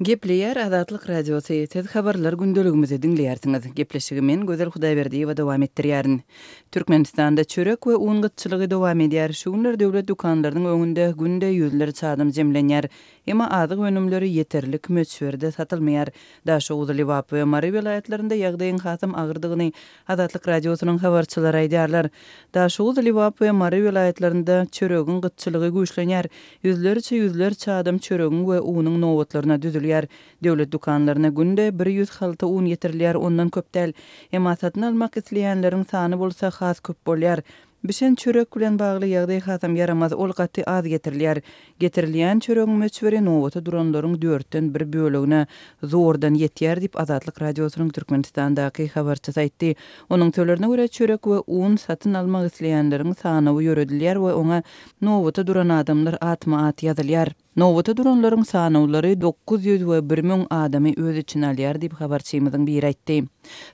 Gepleýär Azatlyk Radiosy, Siz Habarlar gündeligimizi diňleýärsiňiz. Gepleşigi men, Gözel Hudaýberdiýewa dowam etdirýärin. Türkmenistanda çörek we un gytçylygy dowam edýär. Şu günler döwlet dükanlarynyň öňünde günde ýüzlerçe adam jemlenýär. Emma azyk önümleri ýeterlik möçberde satylmaýar. Daşoguz, Lebap we Mary welaýatlarynda ýagdaýyň hasam agyrdygyny Azatlyk Radiosynyň habarçylary aýdýarlar. Daşoguz, Lebap we Mary welaýatlarynda çöregiň gytçylygy güýçlenýär. Ýüzlerçe ýüzlerçe adam çöregiň we unuň nobatlaryna düzülýär. Döwlet dükanlaryna günde 100 halta un getirilýär, ondan köp däl. Emma satyn almak isleýänleriň sany bolsa has köp bolýar. Bişen çörek bilen bagly ýagdaý hasam ýaramaz, ol gaty az getirilýär. Getirilýän çöregiň möçberi nobata duranlaryň dörtden bir bölegine zordan ýetýär diýip, Azatlyk Radiosynyň Türkmenistandaky habarçysy aýtdy. Onuň sözlerine görä, çörek we un satyn almak isleýänleriň sanawy ýöredilýär we oňa nobata duran adamlar atma-at ýazylýar. Nobata duranlaryň sanawlary 900 we 1000 adamy öz içine alýar diýip, habarçymyzyň biri aýtdy.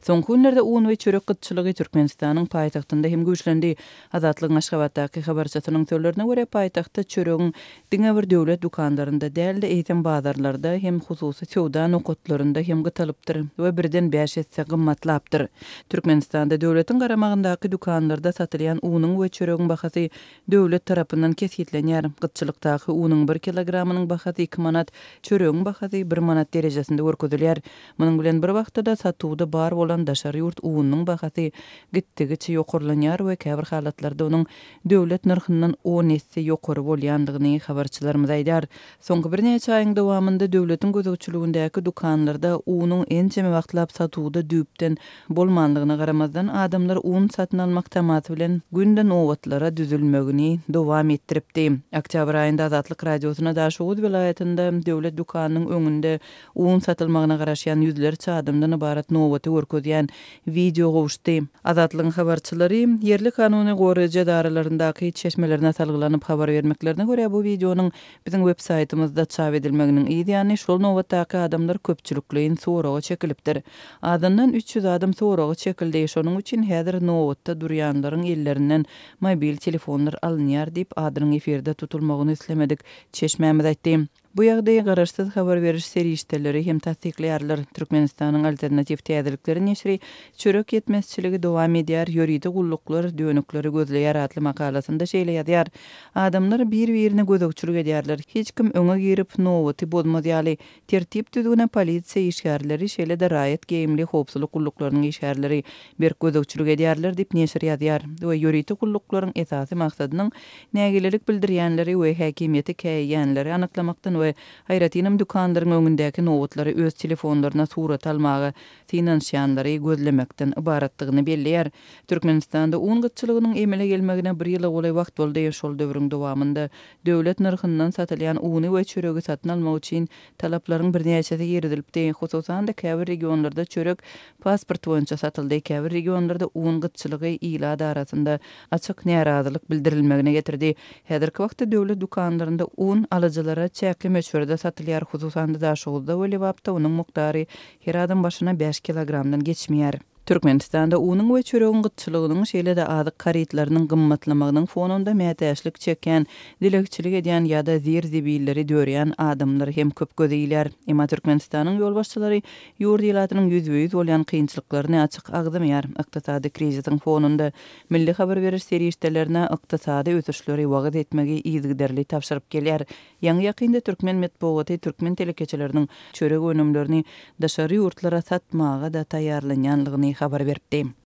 Soňky günlerde un we çörek gytçylygy Türkmenistanyň paýtagtynda hem güýçlendi. Azatlygyň Aşgabatdaky habarçysynyň sözlerine görä, paýtagtda çöregiň diňe bir döwlet dükanlarynda däl-de, eýsem bazarlarda hem hususy söwda nokatlarynda hem gytalypdyr we birden bäş esse gymmatlapdyr. Türkmenistanda döwletiň garamagyndaky dükanlarda satylýan unuň we çöregiň bahasy döwlet tarapyndan kesgitlenýär. Gytçylykdaky unuň bir kilogramynyň bahasy iki manat, çöregiň bahasy bir manat derejesinde görkezilýär. Munuň bilen bir wagtda-da satuwda bar bolan daşary ýurt ununyň bahasy gitdigiçe ýokarlanýar we käbir halatlarda onuň döwlet nyrhyndan on esse ýokary bolýandygyny habarçylarymyz aýdýar. Soňky birnäçe aýyň dowamynda döwletiň gözegçiligindäki dükanlarda unuň ençeme wagtlap satuwda düýpden bolmanlygyna garamazdan, adamlar un satyn almak tamasy bilen günde nobatlara düzülmegini dowam etdiripdi. Oktýabr aýynda Azatlyk Radiosyna Daşoguz welaýatynda döwlet dükanynyň öňünde un satylmagyna garaşýan ýüzlerçe adamdan ybarat nobaty görkezýän wideo gowuşdy. Azatlygyň habarçylary ýerli kanuny goraýjy edaralaryndaky çeşmelerine salgylanyp habar bermeklerine görä, bu wideonyň biziň websaýtymyzda çap edilmeginiň yz ýany şol nobatdaky adamlar köpçülikleýin soraga çekilipdir. Azyndan 300 adam soraga çekildi, şonuň üçin häzir nobatda durýanlaryň ellerinden mobil telefonlar alynýar diýip, adynyň efirde tutulmagyny islemedik çeşmämiz aýtdy. Bu ýagdaýy garaşsyz habar beriş serişdeleri hem tassyklaýarlar. Türkmenistanyň Alternatiw täzelikleri neşiri Çörek ýetmezçiligi dowam edýär, ýörite gulluklar dönükleri gözleýär atly makalasynda şeýle ýazýar, Adamlar bir-birine gözegçilik edýärler. Hiç kim öňe girip, nobaty bozmaz ýaly, Tertip-düzgüne polisiýa işgärleri, şeýle-de raýat geýimli howpsuzlyk gulluklarynyň işgärleri berk gözegçilik edýärler diýip, neşir ýazýar we ýörite gulluklaryň esasy maksadynyň nägilelik bildirýänleri we häkimiýeti käýeýänleri anyklamakdan we aýratynam dükanlaryň öňündäki nobatlary öz telefonlaryna surata almaga synanyşýanlary gözlemekden ybaratdygyny belleýär. Türkmenistanda un gytçylygynyň emele gelmegine bir ýyla golaý wagt boldy. Şol döwrüň dowamynda Döwlet nyrhyndan satylýan uny we çöregi satyn almak üçin talaplaryň birnäçesi girizilipdi. Hususan-da, käbir regionlarda çörek pasport boýunça satyldy, käbir regionlarda un gytçylygy ilat arasynda açyk närazylyk bildirilmegine getirdi. Häzirki wagtda döwlet dükanlarynda un alyjylara çäkli möçberde satylýar, hususan-da, Daşoguzda we Lebapda onuň mukdary her adam başyna bäş kilogramdan geçmeýär. Türkmenistanda unuň we çöregiň gytçylygynyň, şeýle-de azyk harytlarynyň gymmatlamagynyň fonunda mätäçlik çekýän, dilegçilik edýän ýa-da zir-zibilleri dörýän adamlar hem köp göze ilýär. Emma Türkmenistanyň ýolbaşçylary ýurt ilatynyň ýüzbe-ýüz bolýan kynçylyklaryny açyk agzamaýar. Ykdysady krizisiň fonunda milli habar beriş serişdelerine ykdysady ösüşleri wagyz etmegi yzygiderli tabşyryp gelýär. Ýaňy-ýakynda türkmen metbugaty türkmen telekeçileriniň çörek önümlerini daşary ýurtlara satmaga-da taýýarlanýanlygyny habar beripdi.